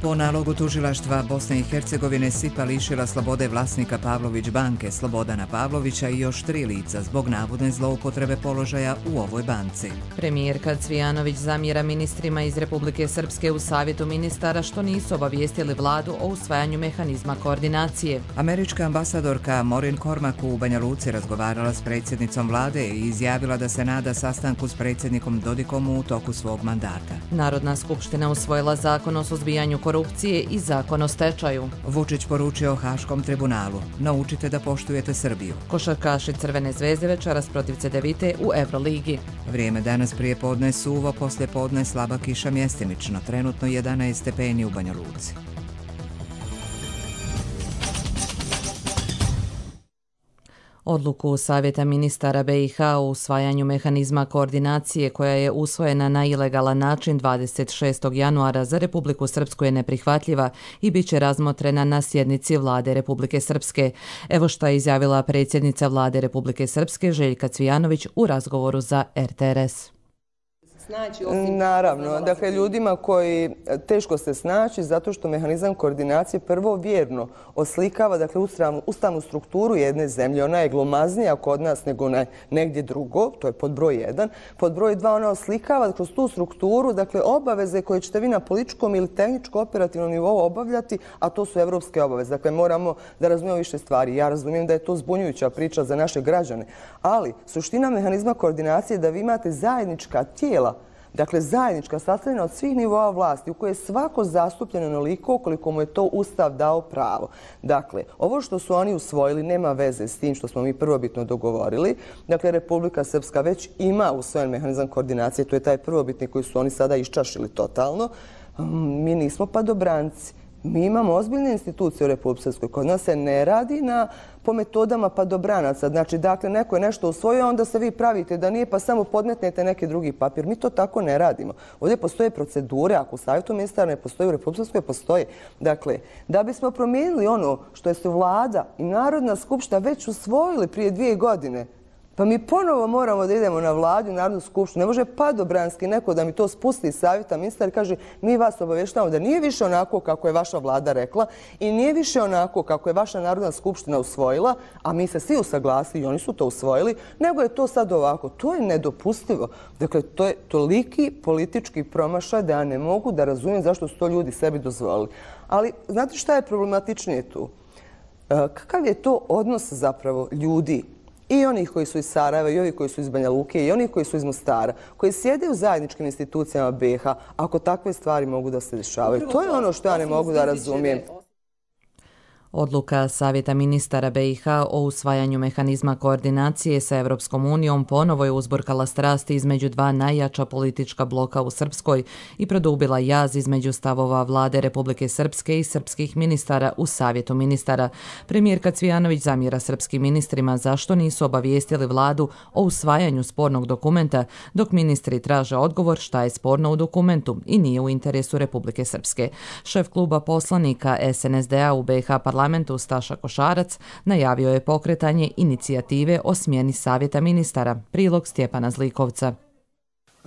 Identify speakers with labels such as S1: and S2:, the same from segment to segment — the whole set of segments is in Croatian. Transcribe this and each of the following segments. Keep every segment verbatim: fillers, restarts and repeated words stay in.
S1: Po nalogu tužilaštva Bosne i Hercegovine S I P A lišila slobode vlasnika Pavlović banke Slobodana Pavlovića i još tri lica zbog navodne zloupotrebe položaja u ovoj banci.
S2: Premijerka Cvijanović zamjera ministrima iz Republike Srpske u Savjetu ministara što nisu obavijestili vladu o usvajanju mehanizma koordinacije.
S1: Američka ambasadorka Maureen Cormack u Banja Luci razgovarala s predsjednicom vlade i izjavila da se nada sastanku s predsjednikom Dodikom u toku svog mandata.
S2: Narodna skupština usvojila zakon o suzbijanju korupcije i zakon o stečaju.
S1: Vučić poručio Haškom tribunalu: naučite da poštujete Srbiju.
S2: Košarkaši Crvene zvezde večeras protiv Cedevite u Euroligi.
S1: Vrijeme danas prije podne suvo, poslije podne slaba kiša mjestimično, trenutno jedanaest stepeni u Banja Luci.
S2: Odluku Savjeta ministara B i H o usvajanju mehanizma koordinacije koja je usvojena na ilegalan način dvadeset šestog januara za Republiku Srpsku je neprihvatljiva i bit će razmotrena na sjednici Vlade Republike Srpske. Evo šta je izjavila predsjednica Vlade Republike Srpske Željka Cvijanović u razgovoru za R T R S.
S3: Naravno, dakle ljudima koji teško se snaći zato što mehanizam koordinacije prvo vjerno oslikava dakle ustavnu, ustavnu strukturu jedne zemlje. Ona je glomaznija kod nas nego na negdje drugo, to je pod broj jedan. Pod broj dva ona oslikava kroz tu strukturu dakle obaveze koje ćete vi na političkom ili tehničko-operativnom nivou obavljati, a to su evropske obaveze. Dakle moramo da razumijemo više stvari. Ja razumijem da je to zbunjujuća priča za naše građane, ali suština mehanizma koordinacije je da vi imate zajednička tijela, dakle zajednička, sastavljena od svih nivoa vlasti u kojoj je svako zastupljeno onoliko koliko mu je to Ustav dao pravo. Dakle, ovo što su oni usvojili nema veze s tim što smo mi prvobitno dogovorili. Dakle, Republika Srpska već ima usvojen mehanizam koordinacije, to je taj prvobitni koji su oni sada iščašili totalno. Mi nismo padobranci. Mi imamo ozbiljne institucije u Republici Srpskoj. Kod nas se ne radi na, po metodama padobranaca. Znači, dakle, neko je nešto usvojio, onda se vi pravite da nije, pa samo podmetnete neki drugi papir. Mi to tako ne radimo. Ovdje postoje procedure, ako u Savjetu ministara ne postoji, u Republici Srpskoj postoji. Dakle, da bismo promijenili ono što je se vlada i Narodna skupština već usvojili prije dvije godine, pa mi ponovo moramo da idemo na vladu i Narodnu skupštinu. Ne može padobranski neko da mi to spusti iz Savjeta ministara i kaže mi vas obavještavamo da nije više onako kako je vaša vlada rekla i nije više onako kako je vaša Narodna skupština usvojila, a mi se svi usaglasili i oni su to usvojili, nego je to sad ovako. To je nedopustivo. Dakle, to je toliki politički promašaj da ja ne mogu da razumijem zašto su to ljudi sebi dozvolili. Ali znate šta je problematičnije tu? Kakav je to odnos zapravo ljudi? I onih koji su iz Sarajeva, i onih koji su iz Banja Luke, i onih koji su iz Mostara, koji sjede u zajedničkim institucijama B i H, ako takve stvari mogu da se dešavaju. To je ono što ja ne mogu da razumijem.
S2: Odluka Savjeta ministara B i H o usvajanju mehanizma koordinacije sa Evropskom unijom ponovo je uzburkala strasti između dva najjača politička bloka u Srpskoj i produbila jaz između stavova Vlade Republike Srpske i srpskih ministara u Savjetu ministara. Premijerka Cvijanović zamjera srpskim ministrima zašto nisu obavijestili vladu o usvajanju spornog dokumenta, dok ministri traže odgovor šta je sporno u dokumentu i nije u interesu Republike Srpske. Šef kluba poslanika S N S D A u B i H parlamentu Staša Košarac najavio je pokretanje inicijative o smjeni Savjeta ministara. Prilog Stjepana Zlikovca.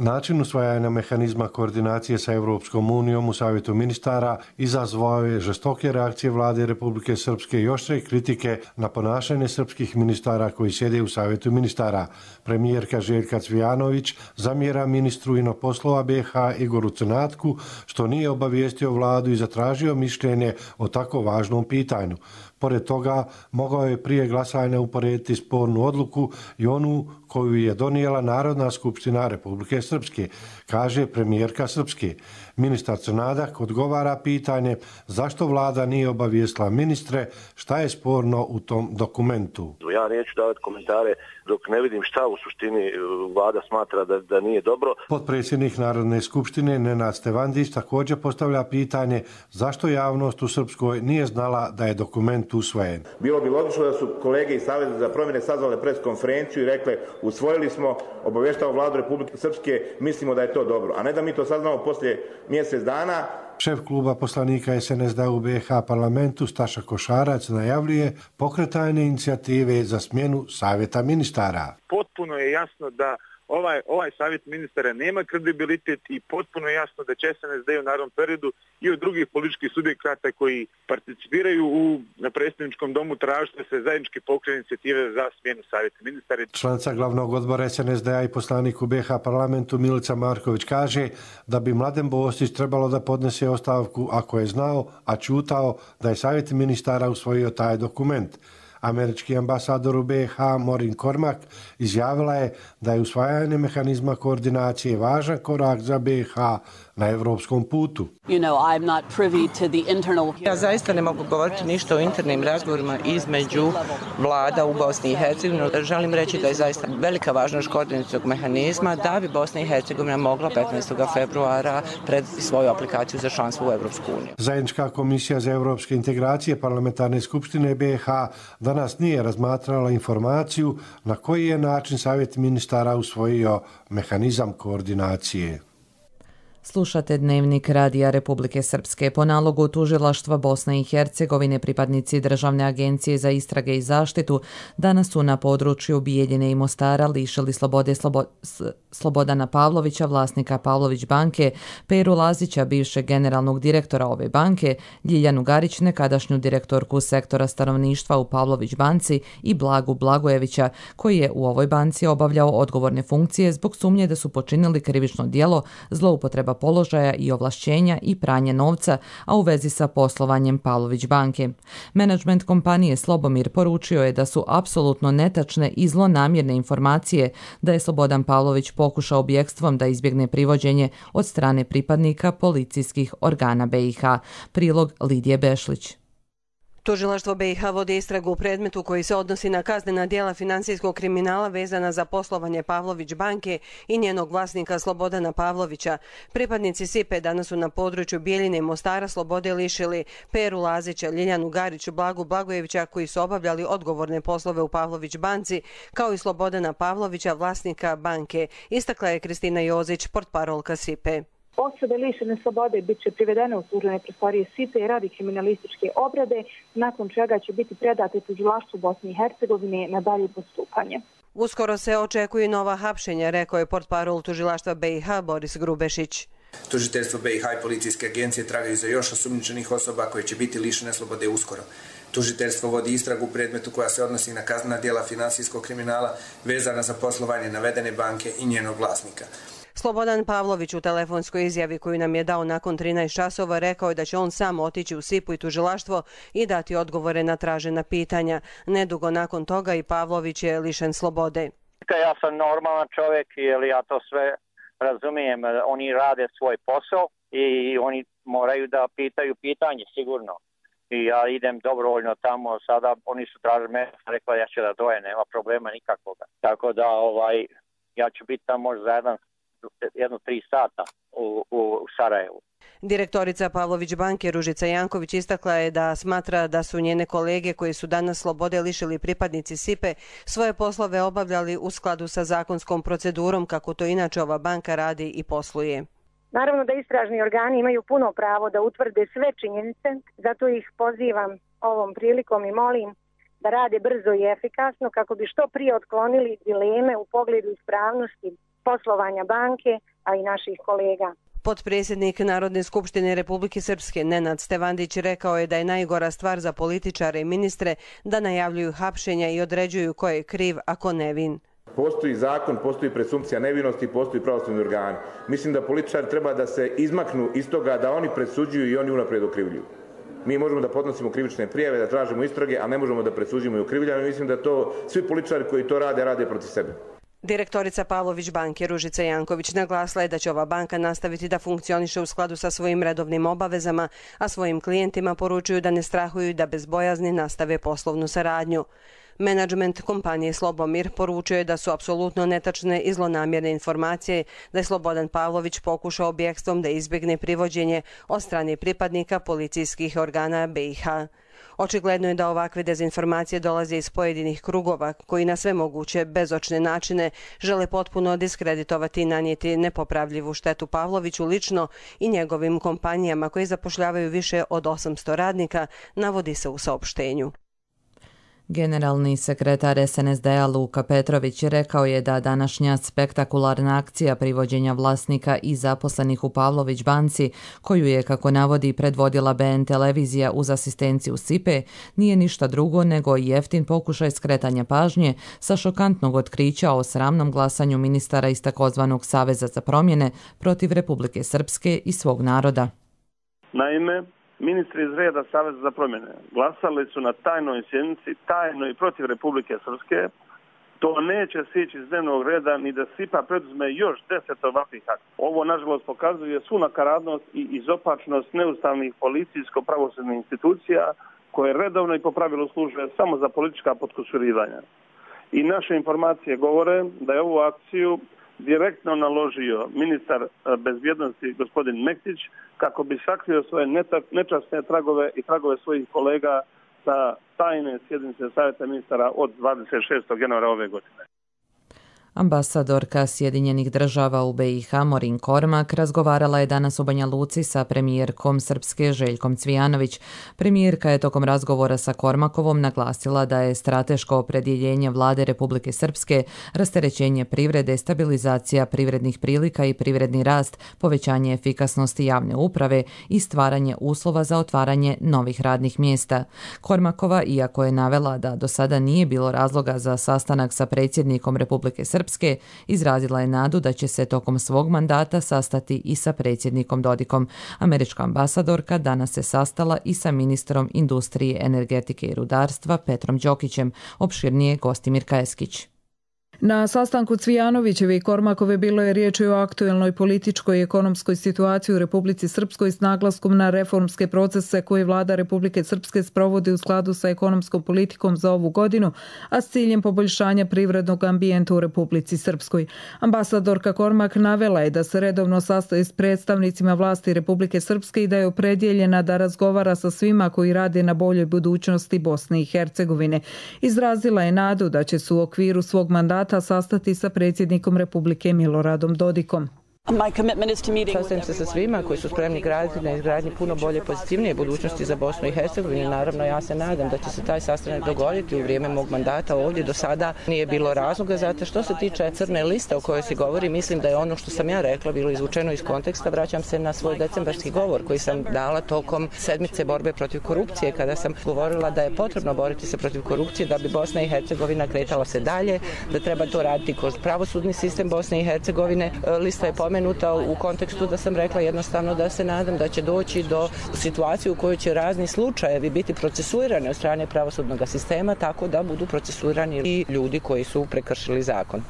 S4: Način usvajanja mehanizma koordinacije sa Evropskom unijom u Savjetu ministara izazvao je žestoke reakcije vlade Republike Srpske i oštre kritike na ponašanje srpskih ministara koji sjede u Savjetu ministara. Premijerka Željka Cvijanović zamjera ministru inoposlova B i H Igoru Crnatku što nije obavijestio vladu i zatražio mišljenje o tako važnom pitanju. Pored toga, mogao je prije glasanja uporediti spornu odluku i onu koju je donijela Narodna skupština Republike Srpske, kaže premijerka Srpske. Ministar Crnadak odgovara pitanje zašto vlada nije obavijestila ministre šta je sporno u tom dokumentu.
S5: Ja neću davati komentare dok ne vidim šta u suštini vlada smatra da, da nije dobro.
S4: Potpredsjednik Narodne skupštine Nenad Stevandić također postavlja pitanje zašto javnost u Srpskoj nije znala da je dokument usvojen.
S6: Bilo bi logično da su kolege iz Saveza za promjene sazvale pres konferenciju i rekle usvojili smo, obavještavamo vladu Republike Srpske, mislimo da je to dobro, a ne da mi to saznamo poslije mjesec dana.
S4: Šef kluba poslanika S N S D A u B i H parlamentu Staša Košarac najavljuje pokretanje inicijative za smjenu Savjeta ministara.
S7: Potpuno je jasno da ovaj, ovaj savjet ministara nema kredibilitet i potpuno jasno da će S N S D u narednom periodu i od drugih političkih subjekata koji participiraju u na predsjedničkom domu tražiti da se zajednički pokrene inicijative za smjenu savjeta ministara.
S4: Članica glavnog odbora S N S D-a i poslanik u B iH parlamentu Milica Marković kaže da bi Mladen Bostić trebalo da podnese ostavku ako je znao, a ćutao da je savjet ministara usvojio taj dokument. Američki ambasador u B iH Maureen Cormack izjavila je da je usvajanje mehanizma koordinacije važan korak za B iH na evropskom putu.
S8: You know, I'm not privy to the internal...
S9: Ja zaista ne mogu govoriti ništa o internim razgovorima između vlada u Bosni i Hercegovini. Želim reći da je zaista velika važnost koordinacijskog mehanizma da bi Bosna i Hercegovina mogla petnaestog februara predati svoju aplikaciju za članstvo u Evropsku uniju.
S4: Zajednička komisija za evropske integracije Parlamentarne skupštine B iH danas nije razmatrala informaciju na koji je način savjet ministara usvojio mehanizam koordinacije.
S2: Slušate Dnevnik Radija Republike Srpske. Po nalogu tužilaštva Bosne i Hercegovine pripadnici Državne agencije za istrage i zaštitu danas su na području Bijeljine i Mostara lišili slobode Slobo... Slobodana Pavlovića, vlasnika Pavlović banke, Peru Lazića, bivšeg generalnog direktora ove banke, Ljiljanu Garić, nekadašnju direktorku sektora stanovništva u Pavlović banci i Blagu Blagojevića, koji je u ovoj banci obavljao odgovorne funkcije zbog sumnje da su počinili krivično djelo zloupotreba položaja i ovlašćenja i pranje novca, a u vezi sa poslovanjem Pavlović banke. Menadžment kompanije Slobomir poručio je da su apsolutno netačne i zlonamjerne informacije da je Slobodan Pavlović pokušao bjegstvom da izbjegne privođenje od strane pripadnika policijskih organa B iH. Prilog Lidije Bešlić.
S10: Tužilaštvo B iH vodi istragu u predmetu koji se odnosi na kaznena djela finansijskog kriminala vezana za poslovanje Pavlović banke i njenog vlasnika Slobodana Pavlovića. Pripadnici S I P E danas su na području Bijeljine i Mostara slobode lišili Peru Lazića, Ljiljanu Garić, Blagu Blagojevića koji su obavljali odgovorne poslove u Pavlović banci, kao i Slobodana Pavlovića, vlasnika banke, istakla je Kristina Jozić, portparolka S I P E.
S11: Osobe lišene slobode bit će privedene u službene prostorije S I P E radi kriminalističke obrade, nakon čega će biti predate tužilaštvu Bosne i Hercegovine na dalje postupanje.
S10: Uskoro se očekuju nova hapšenja, rekao je portparol tužilaštva B iH Boris Grubešić.
S12: Tužiteljstvo B iH i policijske agencije tragaju za još osumnjičenih osoba koje će biti lišene slobode uskoro. Tužiteljstvo vodi istragu u predmetu koja se odnosi na kaznena djela finansijskog kriminala vezana za poslovanje navedene banke i njenog vlasnika.
S10: Slobodan Pavlović u telefonskoj izjavi koju nam je dao nakon trinaest časova rekao je da će on sam otići u S I P U i tužilaštvo i dati odgovore na tražena pitanja. Nedugo nakon toga i Pavlović je lišen slobode.
S13: Ja sam normalan čovjek, jer ja to sve razumijem. Oni rade svoj posao i oni moraju da pitaju pitanje, sigurno. I ja idem dobrovoljno tamo, sada oni su tražili mene, rekla ja ću da doje, nema problema nikakvoga. Tako da ovaj, ja ću biti tamo možda za jedan jedno tri sata u, u Sarajevu.
S10: Direktorica Pavlović banke Ružica Janković istakla je da smatra da su njene kolege koji su danas slobode lišili pripadnici S I P E svoje poslove obavljali u skladu sa zakonskom procedurom kako to inače ova banka radi i posluje.
S14: Naravno da istražni organi imaju puno pravo da utvrde sve činjenice, zato ih pozivam ovom prilikom i molim da rade brzo i efikasno kako bi što prije otklonili dileme u pogledu ispravnosti poslovanja banke, a i naših kolega.
S10: Potpredsjednik Narodne skupštine Republike Srpske Nenad Stevandić rekao je da je najgora stvar za političare i ministre da najavljuju hapšenja i određuju ko je kriv, a ko nevin.
S6: Postoji zakon, postoji presumpcija nevinosti, postoji pravosudni organi. Mislim da političari treba da se izmaknu iz toga da oni presuđuju i oni unaprijed okrivljuju. Mi možemo da podnosimo krivične prijave, da tražimo istrage, a ne možemo da presuđujemo i okrivljujemo. Mislim da to svi političari koji to rade, rade protiv sebe.
S10: Direktorica Pavlović banke Ružica Janković naglasila je da će ova banka nastaviti da funkcioniše u skladu sa svojim redovnim obavezama, a svojim klijentima poručuju da ne strahuju i da bez bojazni nastave poslovnu saradnju. Menadžment kompanije Slobomir poručio je da su apsolutno netačne i zlonamjerne informacije da je Slobodan Pavlović pokušao bjegstvom da izbjegne privođenje od strane pripadnika policijskih organa B iH. Očigledno je da ovakve dezinformacije dolaze iz pojedinih krugova koji na sve moguće bezočne načine žele potpuno diskreditovati i nanijeti nepopravljivu štetu Pavloviću lično i njegovim kompanijama koji zapošljavaju više od osamsto radnika, navodi se u saopštenju.
S2: Generalni sekretar S N S D-a Luka Petrović rekao je da današnja spektakularna akcija privođenja vlasnika i zaposlenih u Pavlović banci, koju je, kako navodi, predvodila B N televizija uz asistenciju S I P E, nije ništa drugo nego jeftin pokušaj skretanja pažnje sa šokantnog otkrića o sramnom glasanju ministara iz takozvanog Saveza za promjene protiv Republike Srpske i svog naroda.
S15: Naime, ministri iz reda Saveza za promjene glasali su na tajnoj sjednici, tajno i protiv Republike Srpske. To neće sići iz dnevnog reda ni da S I P A preduzme još deset ovakvih akta. Ovo, nažalost, pokazuje svu nakaradnost i izopačnost neustavnih policijsko-pravosudnih institucija koje redovno i po pravilu služe samo za politička potkusurivanja. I naše informacije govore da je ovu akciju direktno naložio ministar bezbjednosti gospodin Mektić kako bi sakrio svoje nečasne tragove i tragove svojih kolega sa tajne sjednice Savjeta ministara od dvadeset šestog januara ove godine.
S2: Ambasadorka Sjedinjenih država u B i H Morin Kormak razgovarala je danas u Banja Luci sa premijerkom Srpske Željkom Cvijanović. Premijerka je tokom razgovora sa Kormakovom naglasila da je strateško opredjeljenje vlade Republike Srpske rasterećenje privrede, stabilizacija privrednih prilika i privredni rast, povećanje efikasnosti javne uprave i stvaranje uslova za otvaranje novih radnih mjesta. Kormakova, iako je navela da do sada nije bilo razloga za sastanak sa predsjednikom Republike Srpske, izrazila je nadu da će se tokom svog mandata sastati i sa predsjednikom Dodikom. Američka ambasadorka danas se sastala i sa ministrom industrije, energetike i rudarstva Petrom Đokićem, opširnije Gostimir Kajeskić.
S16: Na sastanku Cvijanovićeve i Kormakove bilo je riječ o aktuelnoj političkoj i ekonomskoj situaciji u Republici Srpskoj s naglaskom na reformske procese koje vlada Republike Srpske sprovodi u skladu sa ekonomskom politikom za ovu godinu, a s ciljem poboljšanja privrednog ambijenta u Republici Srpskoj. Ambasadorka Kormak navela je da se redovno sastaje s predstavnicima vlasti Republike Srpske i da je opredjeljena da razgovara sa svima koji rade na boljoj budućnosti Bosne i Hercegovine. Izrazila je nadu da će se u okviru svog mandata sastati sa predsjednikom Republike Miloradom Dodikom.
S9: Sastajem se sa svima koji su spremni graditi na izgradnji puno bolje, pozitivnije budućnosti za Bosnu i Hercegovinu. Naravno, ja se nadam da će se taj sastanak dogoditi u vrijeme mog mandata ovdje. Do sada nije bilo razloga za to. Što se tiče crne liste o kojoj se govori, mislim da je ono što sam ja rekla bilo izvučeno iz konteksta. Vraćam se na svoj decembarski govor koji sam dala tokom sedmice borbe protiv korupcije, kada sam govorila da je potrebno boriti se protiv korupcije da bi Bosna i Hercegovina kretala se dalje, da treba to raditi kroz pravosudni sistem Bosne i Hercegovine. Lista je pomenuta u kontekstu da sam rekla jednostavno da se nadam da će doći do situacije u kojoj će razni slučajevi biti procesuirani od strane pravosudnog sistema, tako da budu procesuirani i ljudi koji su prekršili zakon.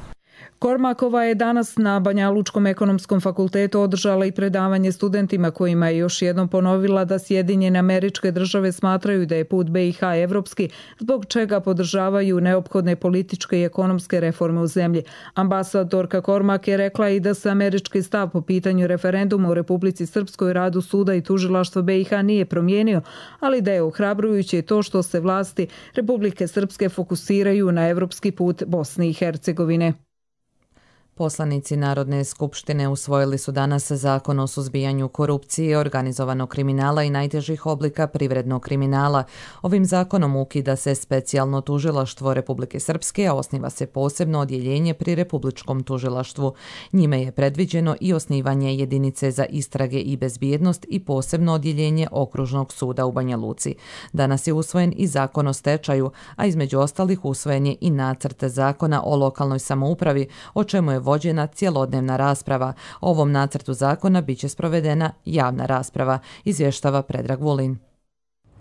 S16: Kormakova je danas na Banjalučkom ekonomskom fakultetu održala i predavanje studentima kojima je još jednom ponovila da Sjedinjene Američke Države smatraju da je put B i H evropski, zbog čega podržavaju neophodne političke i ekonomske reforme u zemlji. Ambasadorka Kormak je rekla i da se američki stav po pitanju referenduma u Republici Srpskoj, radu suda i tužilaštva B i H nije promijenio, ali da je ohrabrujuće to što se vlasti Republike Srpske fokusiraju na evropski put Bosne i Hercegovine.
S2: Poslanici Narodne skupštine usvojili su danas Zakon o suzbijanju korupcije, organizovanog kriminala i najtežih oblika privrednog kriminala. Ovim zakonom ukida se specijalno tužilaštvo Republike Srpske, a osniva se posebno odjeljenje pri Republičkom tužilaštvu. Njime je predviđeno i osnivanje jedinice za istrage i bezbjednost i posebno odjeljenje Okružnog suda u Banja Luci. Danas je usvojen i Zakon o stečaju, a između ostalih usvojen je i nacrt Zakona o lokalnoj samoupravi, o čemu je vođena cjelodnevna rasprava. O ovom nacrtu zakona biće sprovedena javna rasprava, izvještava Predrag Vulin.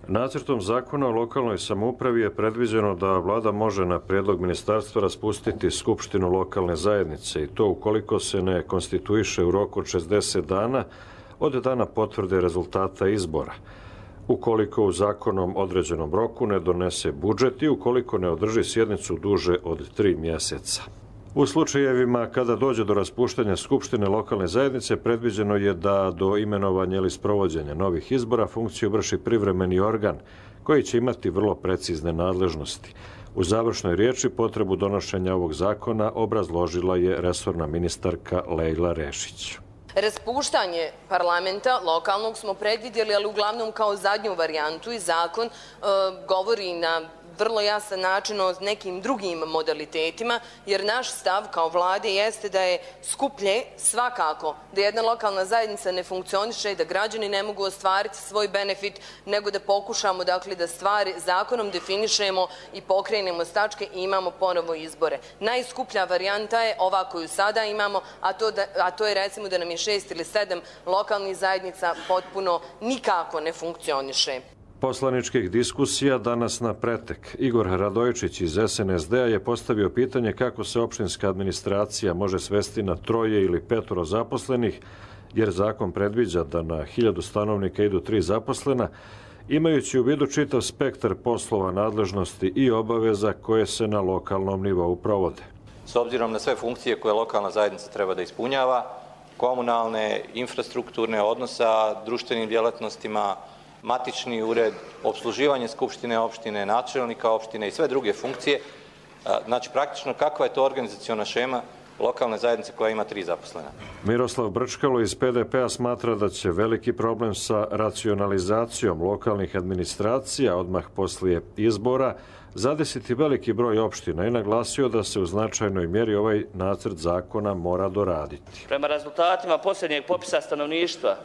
S17: Nacrtom zakona o lokalnoj samoupravi je predviđeno da vlada može na prijedlog ministarstva raspustiti skupštinu lokalne zajednice i to ukoliko se ne konstituiše u roku od šezdeset dana od dana potvrde rezultata izbora, ukoliko u zakonom određenom roku ne donese budžet i ukoliko ne održi sjednicu duže od tri mjeseca. U slučajevima kada dođe do raspuštanja Skupštine lokalne zajednice, predviđeno je da do imenovanja ili sprovođenja novih izbora funkciju vrši privremeni organ koji će imati vrlo precizne nadležnosti. U završnoj riječi potrebu donošenja ovog zakona obrazložila je resorna ministarka Lejla Rešić.
S18: Raspuštanje parlamenta lokalnog smo predvidjeli, ali uglavnom kao zadnju varijantu i zakon e, govori na vrlo jasan način o nekim drugim modalitetima, jer naš stav kao vlade jeste da je skuplje svakako da jedna lokalna zajednica ne funkcioniše i da građani ne mogu ostvariti svoj benefit, nego da pokušamo dakle, da stvari zakonom definišemo i pokrenemo s tačke i imamo ponovo izbore. Najskuplja varijanta je ova koju sada imamo, a to, da, a to je recimo da nam je šest ili sedam lokalnih zajednica potpuno nikako ne funkcioniše.
S17: Poslaničkih diskusija danas na pretek. Igor Radojičić iz S N S D-a je postavio pitanje kako se opštinska administracija može svesti na troje ili petoro zaposlenih, jer zakon predviđa da na hiljadu stanovnika idu tri zaposlena, imajući u vidu čitav spektar poslova, nadležnosti i obaveza koje se na lokalnom nivou provode.
S19: S obzirom na sve funkcije koje lokalna zajednica treba da ispunjava, komunalne, infrastrukturne, odnosa, društvenim djelatnostima, matični ured, obsluživanje skupštine opštine, načelnika opštine i sve druge funkcije. Znači, praktično kakva je to organizaciona šema lokalne zajednice koja ima tri zaposlena?
S17: Miroslav Brčkalo iz P D P-a smatra da će veliki problem sa racionalizacijom lokalnih administracija odmah poslije izbora zadesiti veliki broj opština i naglasio da se u značajnoj mjeri ovaj nacrt zakona mora doraditi.
S20: Prema rezultatima posljednjeg popisa stanovništva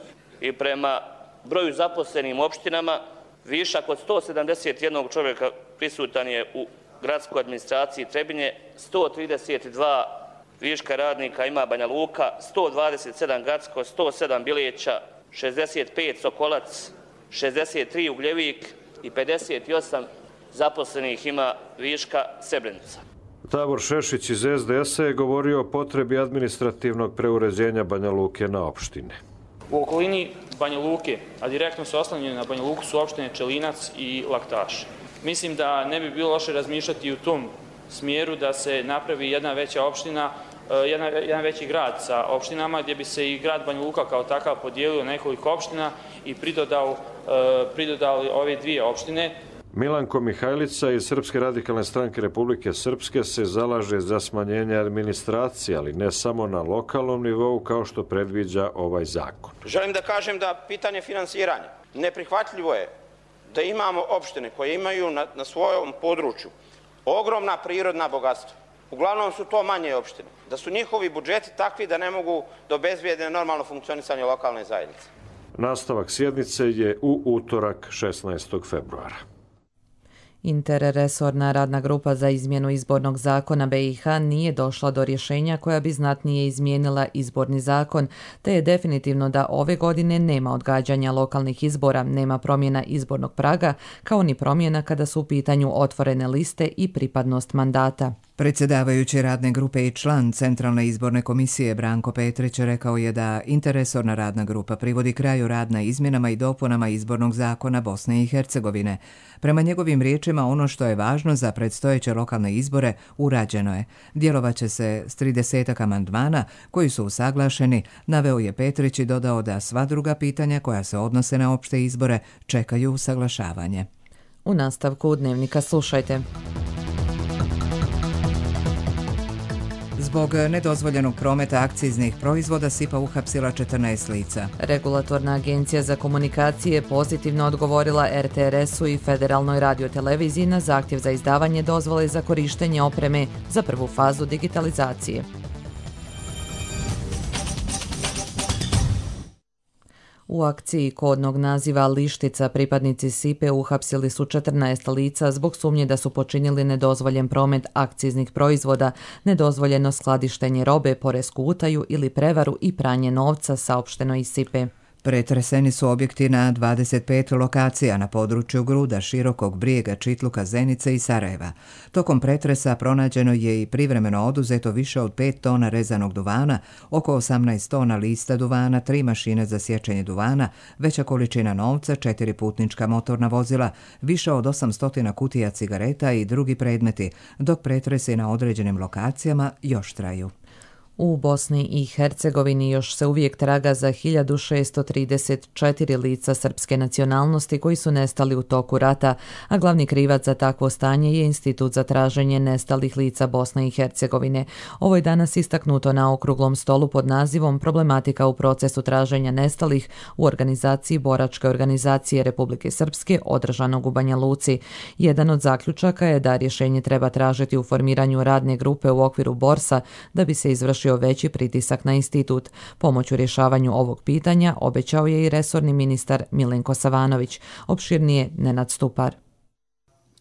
S20: i prema broju zaposlenim opštinama, višak od sto sedamdeset jednog čovjeka prisutan je u gradskoj administraciji Trebinje, sto trideset dva viška radnika ima Banja Luka, sto dvadeset sedam Gacko, sto sedam Bileća, šezdeset pet Sokolac, šezdeset tri Ugljevik i pedeset osam zaposlenih ima viška Srebrenica.
S17: Davor Šešić iz S D S-a je govorio o potrebi administrativnog preuređenja Banja Luke na opštine.
S21: U okolini Banja Luke, a direktno su oslanjene na Banja Luku, su opštine Čelinac i Laktaš. Mislim da ne bi bilo loše razmišljati u tom smjeru da se napravi jedna veća opština, jedna, jedan veći grad sa opštinama, gdje bi se i grad Banja Luka kao takav podijelio nekoliko opština i pridodao, pridodali ove dvije opštine.
S17: Milanko Mihajlica iz Srpske radikalne stranke Republike Srpske se zalaže za smanjenje administracije, ali ne samo na lokalnom nivou kao što predviđa ovaj zakon.
S22: Želim da kažem da pitanje finansiranja neprihvatljivo je da imamo opštine koje imaju na, na svojom području ogromna prirodna bogatstva. Uglavnom su to manje opštine. Da su njihovi budžeti takvi da ne mogu da obezbijede normalno funkcionisanje lokalne zajednice.
S17: Nastavak sjednice je u utorak šesnaestog februara.
S2: Interresorna radna grupa za izmjenu izbornog zakona B i H nije došla do rješenja koja bi znatnije izmijenila izborni zakon, te je definitivno da ove godine nema odgađanja lokalnih izbora, nema promjena izbornog praga, kao ni promjena kada su u pitanju otvorene liste i pripadnost mandata.
S1: Predsjedavajući radne grupe i član Centralne izborne komisije Branko Petrić rekao je da interresorna radna grupa privodi kraju rad na izmjenama i dopunama izbornog zakona Bosne i Hercegovine. Prema njegovim riječima, ono što je važno za predstojeće lokalne izbore urađeno je. Djelovaće se s tridesetak amandmana koji su usaglašeni, naveo je Petrić i dodao da sva druga pitanja koja se odnose na opšte izbore čekaju usaglašavanje.
S2: U nastavku Dnevnika slušajte.
S1: Zbog nedozvoljenog prometa akciznih proizvoda S I P A uhapsila četrnaest lica.
S2: Regulatorna agencija za komunikacije pozitivno odgovorila R T R S-u i Federalnoj radioteleviziji na zahtjev za izdavanje dozvole za korištenje opreme za prvu fazu digitalizacije. U akciji kodnog naziva Lištica pripadnici S I P E uhapsili su četrnaest lica zbog sumnje da su počinili nedozvoljen promet akciznih proizvoda, nedozvoljeno skladištenje robe, poresku utaju ili prevaru i pranje novca, saopšteno iz S I P E.
S1: Pretreseni su objekti na dvadeset pet lokacija na području Gruda, Širokog Brijega, Čitluka, Zenice i Sarajeva. Tokom pretresa pronađeno je i privremeno oduzeto više od pet tona rezanog duvana, oko osamnaest tona lista duvana, tri mašine za sječenje duvana, veća količina novca, četiri putnička motorna vozila, više od osamsto kutija cigareta i drugi predmeti, dok pretresi na određenim lokacijama još traju.
S2: U Bosni i Hercegovini još se uvijek traga za hiljadu šesto trideset četiri lica srpske nacionalnosti koji su nestali u toku rata, a glavni krivac za takvo stanje je Institut za traženje nestalih lica Bosne i Hercegovine. Ovo je danas istaknuto na okruglom stolu pod nazivom Problematika u procesu traženja nestalih u organizaciji Boračke organizacije Republike Srpske održanog u Banja Luci. Jedan od zaključaka je da rješenje treba tražiti u formiranju radne grupe u okviru Borsa da bi se izvršio veći pritisak na institut. Pomoć u rješavanju ovog pitanja obećao je i resorni ministar Milenko Savanović. Opširnije Nenad Stupar.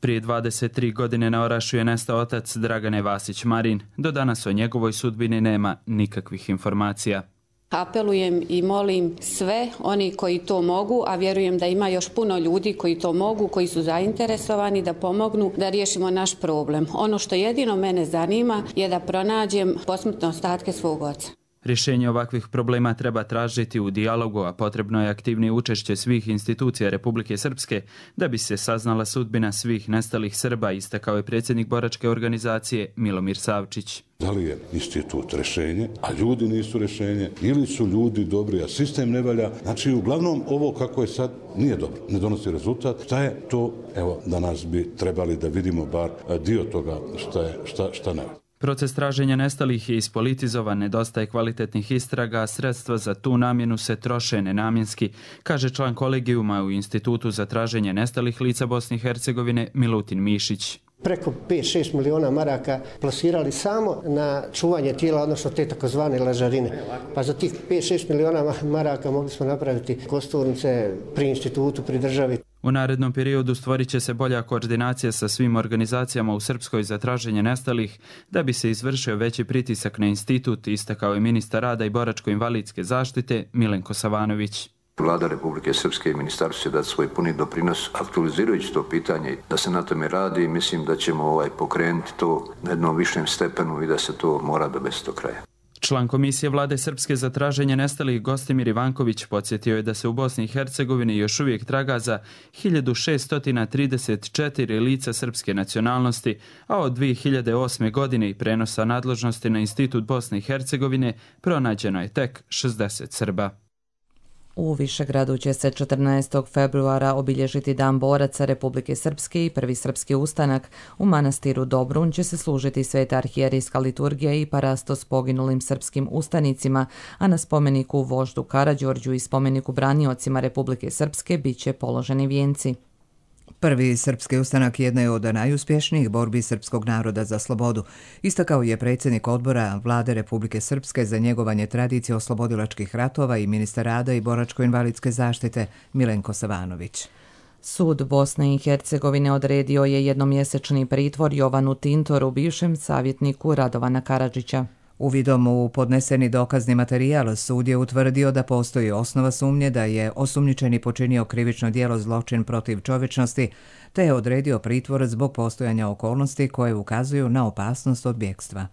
S3: Prije dvadeset tri godine na Orašju je nestao otac Dragane Vasić Marin. Do danas o njegovoj sudbini nema nikakvih informacija.
S5: Apelujem i molim sve oni koji to mogu, a vjerujem da ima još puno ljudi koji to mogu, koji su zainteresovani da pomognu da riješimo naš problem. Ono što jedino mene zanima je da pronađem posmrtne ostatke svog oca.
S3: Rješenje ovakvih problema treba tražiti u dijalogu, a potrebno je aktivnije učešće svih institucija Republike Srpske da bi se saznala sudbina svih nestalih Srba, istakao je predsjednik Boračke organizacije Milomir Savčić.
S23: Da li je institut rješenje, a ljudi nisu rješenje, ili su ljudi dobri, a sistem ne valja. Znači, uglavnom, ovo kako je sad nije dobro, ne donosi rezultat. Šta je to? Evo, danas bi trebali da vidimo bar dio toga šta je, šta, šta ne.
S3: Proces traženja nestalih je ispolitizovan, nedostaje kvalitetnih istraga, a sredstva za tu namjenu se troše nenamjenski, kaže član kolegijuma u Institutu za traženje nestalih lica Bosne i Hercegovine Milutin Mišić.
S24: Preko pet šest miliona maraka plasirali samo na čuvanje tijela, odnosno te takozvane lažarine. Pa za tih pet šest miliona maraka mogli smo napraviti kosturnice pri institutu, pri državi.
S3: U narednom periodu stvorit će se bolja koordinacija sa svim organizacijama u Srpskoj za traženje nestalih da bi se izvršio veći pritisak na institut, istakao je ministar rada i boračko-invalidske zaštite Milenko Savanović.
S25: Vlada Republike Srpske i ministarstvo će dati svoj puni doprinos aktualizirajući to pitanje da se na tome radi. Mislim da ćemo ovaj pokrenuti to na jednom višem stepenu i da se to mora dovesti do kraja.
S3: Član Komisije Vlade Srpske za traženje nestalih Gostimir Ivanković podsjetio je da se u Bosni i Hercegovini još uvijek traga za hiljadu šesto trideset četiri lica srpske nacionalnosti, a od dvije hiljade osme. godine i prenosa nadležnosti na Institut Bosne i Hercegovine pronađeno je tek šezdeset Srba.
S2: U Višegradu će se četrnaestog februara obilježiti Dan boraca Republike Srpske i prvi srpski ustanak. U manastiru Dobrun će se služiti sveta arhijerijska liturgija i parastos poginulim srpskim ustanicima, a na spomeniku voždu Karađorđu i spomeniku braniocima Republike Srpske bit će položeni vijenci.
S1: Prvi srpski ustanak jedna je od najuspješnijih borbi srpskog naroda za slobodu, istakao je predsjednik odbora Vlade Republike Srpske za njegovanje tradicije oslobodilačkih ratova i ministar rada i boračko-invalidske zaštite Milenko Savanović.
S2: Sud Bosne i Hercegovine odredio je jednomjesečni pritvor Jovanu Tintoru, bivšem savjetniku Radovana Karadžića.
S1: Uvidom u podneseni dokazni materijal sud je utvrdio da postoji osnova sumnje da je osumnjičeni počinio krivično djelo zločin protiv čovječnosti, te je odredio pritvor zbog postojanja okolnosti koje ukazuju na opasnost od bjegstva.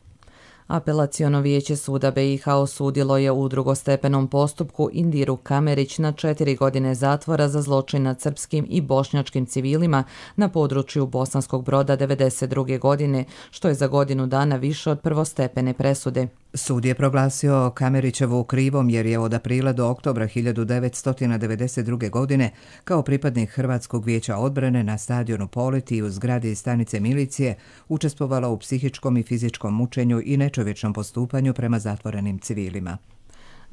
S2: Apelaciono vijeće suda be i ha osudilo je u drugostepenom postupku Indiru Kamerić na četiri godine zatvora za zločin nad srpskim i bošnjačkim civilima na području Bosanskog Broda devedeset druge. godine, što je za godinu dana više od prvostepene presude.
S1: Sud je proglasio Kamerićevu krivom jer je od aprila do oktobra hiljadu devetsto devedeset druge. godine kao pripadnik Hrvatskog vijeća odbrane na stadionu Poleti i u zgradi stanice milicije učestvovala u psihičkom i fizičkom mučenju i nečovječnom postupanju prema zatvorenim civilima.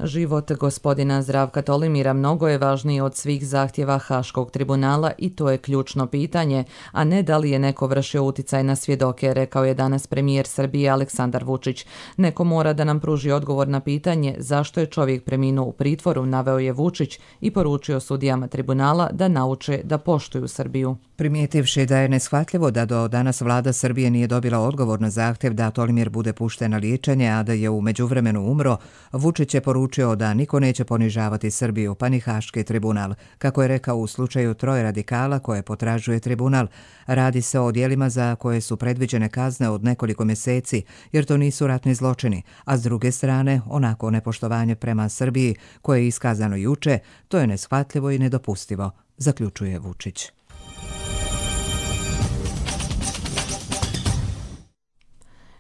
S2: Život gospodina Zdravka Tolimira mnogo je važniji od svih zahtjeva Haškog tribunala i to je ključno pitanje, a ne da li je neko vršio uticaj na svjedoke, rekao je danas premijer Srbije Aleksandar Vučić. Neko mora da nam pruži odgovor na pitanje zašto je čovjek preminuo u pritvoru, naveo je Vučić i poručio sudijama tribunala da nauče da poštuju Srbiju.
S1: Primijetivši da je neshvatljivo da do danas vlada Srbije nije dobila odgovor na zahtjev da Tolimir bude pušten na liječenje, a da je u međuvremenu umro, Vučić je poručio da niko neće ponižavati Srbiju, pa ni Haški tribunal. Kako je rekao u slučaju troje radikala koje potražuje tribunal, radi se o djelima za koje su predviđene kazne od nekoliko mjeseci, jer to nisu ratni zločini, a s druge strane, onako nepoštovanje prema Srbiji koje je iskazano juče, to je neshvatljivo i nedopustivo, zaključuje Vučić.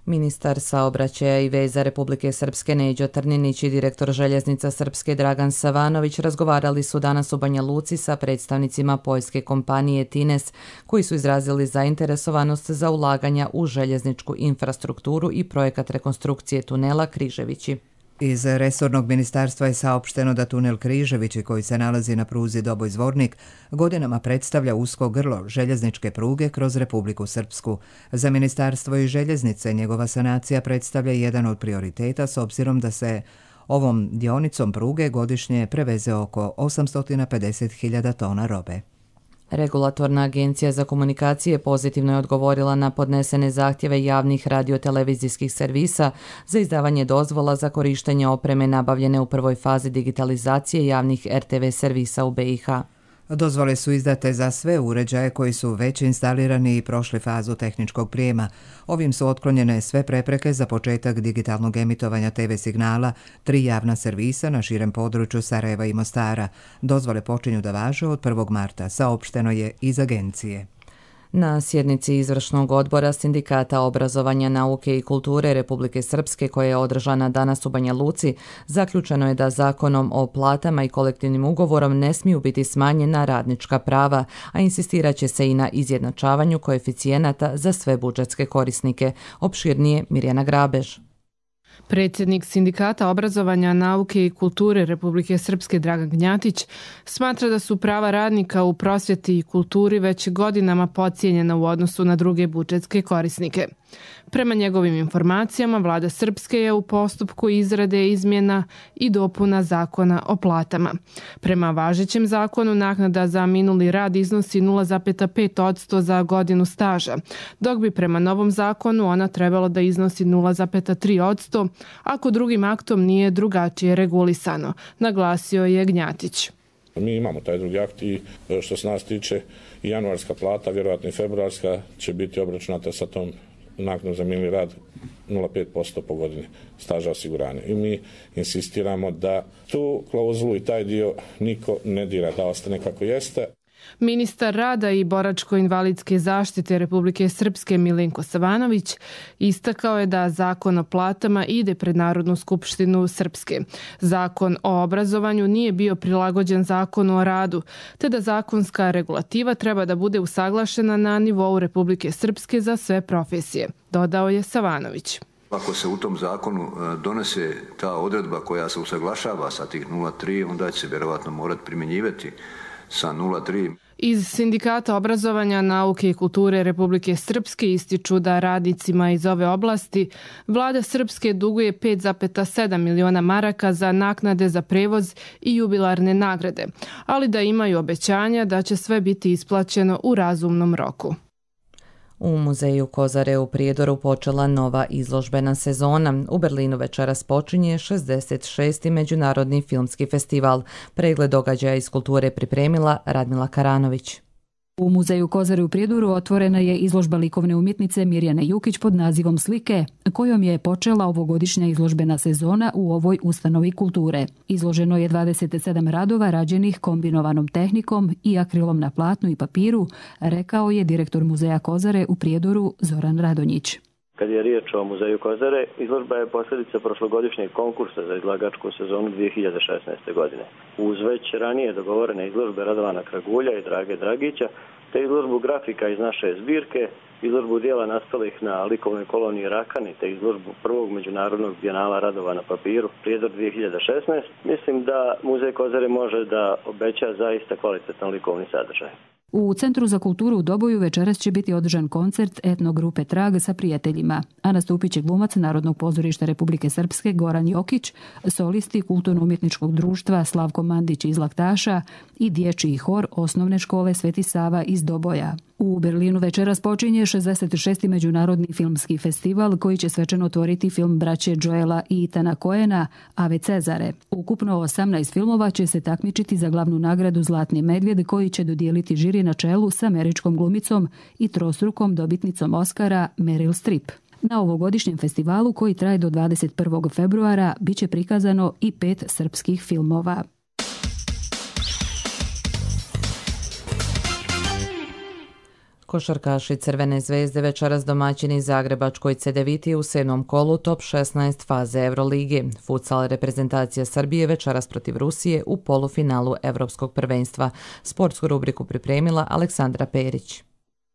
S2: Ministar saobraćaja i veza Republike Srpske Neđo Trninić i direktor željeznica Srpske Dragan Savanović razgovarali su danas u Banja Luci sa predstavnicima poljske kompanije Tines, koji su izrazili zainteresovanost za ulaganja u željezničku infrastrukturu i projekat rekonstrukcije tunela Križevići.
S1: Iz resornog ministarstva je saopšteno da tunel Križevići, koji se nalazi na pruzi Doboj-Zvornik, godinama predstavlja usko grlo željezničke pruge kroz Republiku Srpsku. Za ministarstvo i željeznice njegova sanacija predstavlja jedan od prioriteta s obzirom da se ovom dionicom pruge godišnje preveze oko osamsto pedeset hiljada tona robe.
S2: Regulatorna agencija za komunikacije pozitivno je odgovorila na podnesene zahtjeve javnih radiotelevizijskih servisa za izdavanje dozvola za korištenje opreme nabavljene u prvoj fazi digitalizacije javnih er te ve servisa u be i ha.
S1: Dozvole su izdate za sve uređaje koji su već instalirani i prošli fazu tehničkog prijema. Ovim su otklonjene sve prepreke za početak digitalnog emitovanja te ve signala, tri javna servisa na širem području Sarajeva i Mostara. Dozvole počinju da važe od prvog marta, saopšteno je iz agencije.
S2: Na sjednici izvršnog odbora Sindikata obrazovanja, nauke i kulture Republike Srpske, koja je održana danas u Banja Luci, zaključeno je da zakonom o platama i kolektivnim ugovorom ne smiju biti smanjena radnička prava, a insistirat će se i na izjednačavanju koeficijenata za sve budžetske korisnike. Opširnije Mirjana Grabež.
S4: Predsjednik Sindikata obrazovanja, nauke i kulture Republike Srpske Dragan Gnjatić smatra da su prava radnika u prosvjeti i kulturi već godinama podcijenjena u odnosu na druge budžetske korisnike. Prema njegovim informacijama, vlada Srpske je u postupku izrade izmjena i dopuna zakona o platama. Prema važećem zakonu, naknada za minuli rad iznosi nula zarez pet posto za godinu staža, dok bi prema novom zakonu ona trebalo da iznosi nula zarez tri posto ako drugim aktom nije drugačije regulisano, naglasio je Gnjatić.
S7: Mi imamo taj drugi akt i što se nas tiče i januarska plata, vjerojatno i februarska, će biti obračunata sa tom naknadom za minuli rad nula zarez pet posto po godini staža osiguranja. I mi insistiramo da tu klauzulu i taj dio niko ne dira, da ostane kako jeste.
S4: Ministar rada i boračko-invalidske zaštite Republike Srpske Milenko Savanović istakao je da zakon o platama ide pred Narodnu skupštinu Srpske. Zakon o obrazovanju nije bio prilagođen zakonu o radu, te da zakonska regulativa treba da bude usaglašena na nivou Republike Srpske za sve profesije, dodao je Savanović.
S25: Ako se u tom zakonu donese ta odredba koja se usaglašava sa tih nula zarez tri, onda će se vjerovatno morati primjenjivati sa nula zarez tri.
S4: Iz Sindikata obrazovanja, nauke i kulture Republike Srpske ističu da radnicima iz ove oblasti vlada Srpske duguje pet zarez sedam miliona maraka za naknade za prevoz i jubilarne nagrade, ali da imaju obećanja da će sve biti isplaćeno u razumnom roku.
S2: U muzeju Kozare u Prijedoru počela nova izložbena sezona. U Berlinu večeras počinje šezdeset šesti Međunarodni filmski festival. Pregled događaja iz kulture pripremila Radmila Karanović.
S8: U muzeju Kozare u Prijedoru otvorena je izložba likovne umjetnice Mirjane Jukić pod nazivom Slike, kojom je počela ovogodišnja izložbena sezona u ovoj ustanovi kulture. Izloženo je dvadeset sedam radova rađenih kombinovanom tehnikom i akrilom na platnu i papiru, rekao je direktor muzeja Kozare u Prijedoru Zoran Radonjić.
S11: Kad je riječ o muzeju Kozare, izložba je posljedica prošlogodišnjeg konkursa za izlagačku sezonu dvije hiljade šesnaeste. godine. Uz već ranije dogovorene izložbe Radovana Kragulja i Drage Dragića, te izložbu grafika iz naše zbirke, izložbu dijela nastalih na likovnoj koloniji Rakani, te izložbu prvog međunarodnog bijenala radova na papiru Prijedor dvije hiljade šesnaeste. Mislim da muzej Kozare može da obeća zaista kvalitetan likovni sadržaj.
S8: U Centru za kulturu u Doboju večeras će biti održan koncert etno grupe Trag sa prijateljima, a nastupit će glumac Narodnog pozorišta Republike Srpske Goran Jokić, solisti Kulturno-umjetničkog društva Slavko Mandić iz Laktaša i dječji hor Osnovne škole Sveti Sava iz Doboja. U Berlinu večeras počinje šezdeset šesti Međunarodni filmski festival koji će svečano otvoriti film braće Joela i Itana Coena, Ave Cezare. Ukupno osamnaest filmova će se takmičiti za glavnu nagradu Zlatni medvjed koji će dodijeliti žiri na čelu s američkom glumicom i trostrukom dobitnicom Oscara Meryl Streep. Na ovogodišnjem festivalu koji traje do dvadeset prvog februara bit će prikazano i pet srpskih filmova.
S2: Košarkaši Crvene zvezde večeras domaćini Zagrebačkoj Cedeviti u sedmom kolu top šesnaest faze Eurolige. Futsal reprezentacija Srbije večeras protiv Rusije u polufinalu Evropskog prvenstva. Sportsku rubriku pripremila Aleksandra Perić.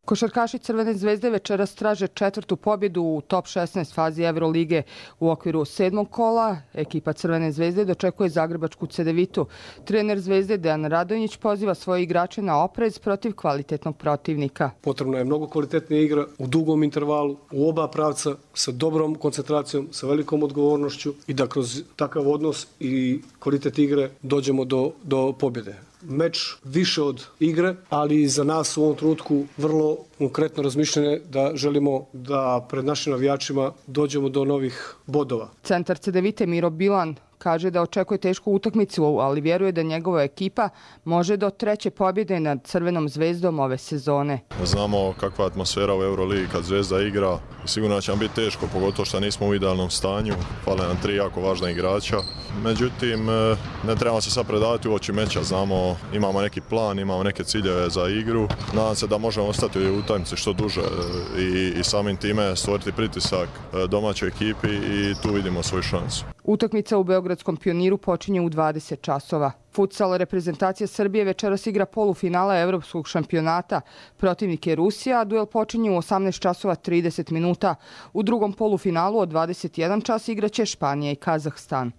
S6: Košarkaši Crvene zvezde večeras traže četvrtu pobjedu u top šesnaest fazi Eurolige. U okviru sedmog kola ekipa Crvene zvezde dočekuje Zagrebačku Cedevitu. Trener Zvezde Dejan Radonjić poziva svoje igrače na oprez protiv kvalitetnog protivnika.
S10: Potrebno je mnogo kvalitetnija igra u dugom intervalu, u oba pravca, sa dobrom koncentracijom, sa velikom odgovornošću i da kroz takav odnos i kvalitet igre dođemo do, do pobjede. Meč više od igre, ali za nas u ovom trenutku vrlo konkretno razmišljanje da želimo da pred našim navijačima dođemo do novih bodova.
S6: Centar Cedevite Miro Bilan kaže da očekuje tešku utakmicu, ali vjeruje da njegova ekipa može do treće pobjede nad Crvenom zvezdom ove sezone.
S12: Znamo kakva je atmosfera u Euroligi kad Zvezda igra i sigurno će nam biti teško, pogotovo što nismo u idealnom stanju. Fale nam tri jako važna igrača. Međutim, ne trebamo se sad predavati u oči meča. Znamo, imamo neki plan, imamo neke ciljeve za igru. Nadam se da možemo ostati u utakmici što duže i, i samim time stvoriti pritisak domaćoj ekipi i tu vidimo svoju šansu.
S6: Utakmica u Beogradskom Pioniru počinje u dvadeset časova. Futsal reprezentacija Srbije večeras igra polufinala Evropskog šampionata. Protivnik je Rusija, a duel počinje u osamnaest časova trideset minuta. U drugom polufinalu od dvadeset jedan čas igraće Španija i Kazahstan.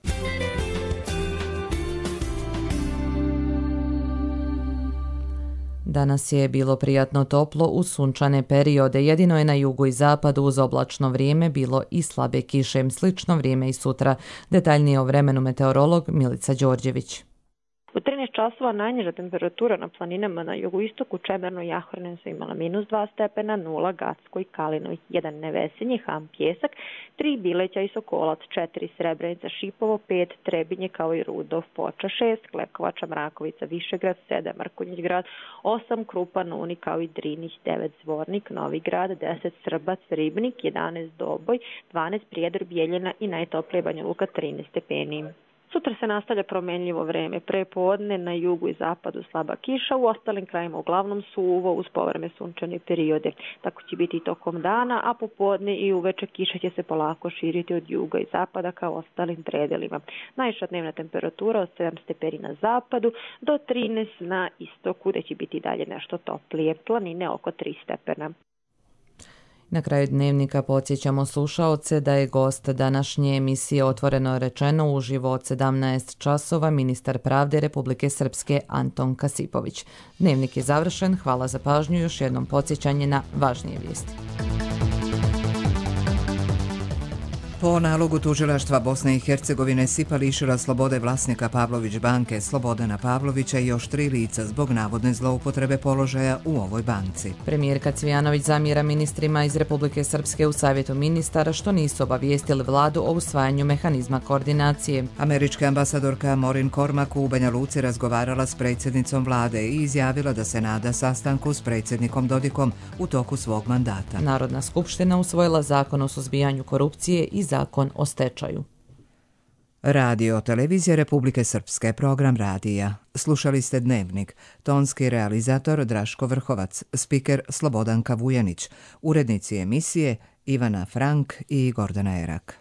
S2: Danas je bilo prijatno toplo uz sunčane periode, jedino je na jugu i zapadu uz oblačno vrijeme bilo i slabe kiše, slično vrijeme i sutra. Detaljnije o vremenu meteorolog Milica Đorđević.
S13: U trinaest časova najniža temperatura na planinama na jugoistoku Čemerno i Jahornen su imala minus dva stepena, nula Gacko i Kalino, jedan Nevesinje, Ham, Pjesak, tri Bileća i Sokolac, četiri Srebrenica, Šipovo, pet Trebinje kao i Rudov, Foča, šest Klekovača, Mrakovica, Višegrad, sedam Mrkonjić grad, osam Krupan, Uni kao i Drinih, devet Zvornik, Novi grad, deset Srbac, Ribnik, jedanaest Doboj, dvanaest Prijedor, Bijeljina i najtoplije Banja Luka trinaest stepeni. Sutra se nastavlja promenljivo vreme. Pre podne na jugu i zapadu slaba kiša, u ostalim krajima uglavnom suvo uz povreme sunčane periode. Tako će biti i tokom dana, a popodne i uveče kiša će se polako širiti od juga i zapada kao ostalim predelima. Najviša dnevna temperatura od sedam stepeni na zapadu do trinaest na istoku, gde će biti dalje nešto toplije. Planine oko tri stepena.
S2: Na kraju dnevnika podsjećamo slušaoce da je gost današnje emisije Otvoreno rečeno uživo od sedamnaest časova ministar pravde Republike Srpske Anton Kasipović. Dnevnik je završen, hvala za pažnju, još jednom podsjećanje na važnije vijesti.
S1: Po nalogu tužilaštva Bosne i Hercegovine S I P A lišila slobode vlasnika Pavlović banke Slobodana Pavlovića i još tri lica zbog navodne zloupotrebe položaja u ovoj banci.
S2: Premijerka Cvijanović zamjera ministrima iz Republike Srpske u Savjetu ministara što nisu obavijestili vladu o usvajanju mehanizma koordinacije.
S1: Američka ambasadorka Maureen Cormack u Banja Luci razgovarala s predsjednicom vlade i izjavila da se nada sastanku s predsjednikom Dodikom u toku svog mandata.
S2: Narodna skupština usvojila zakon o suzbijanju korupcije i zakon o stečaju.
S1: Radio Televizija Republike Srpske, program radija. Slušali ste Dnevnik. Tonski realizator Draško Vrhovac, spiker Slobodanka Vujanić, urednici emisije Ivana Frank i Gordana Erak.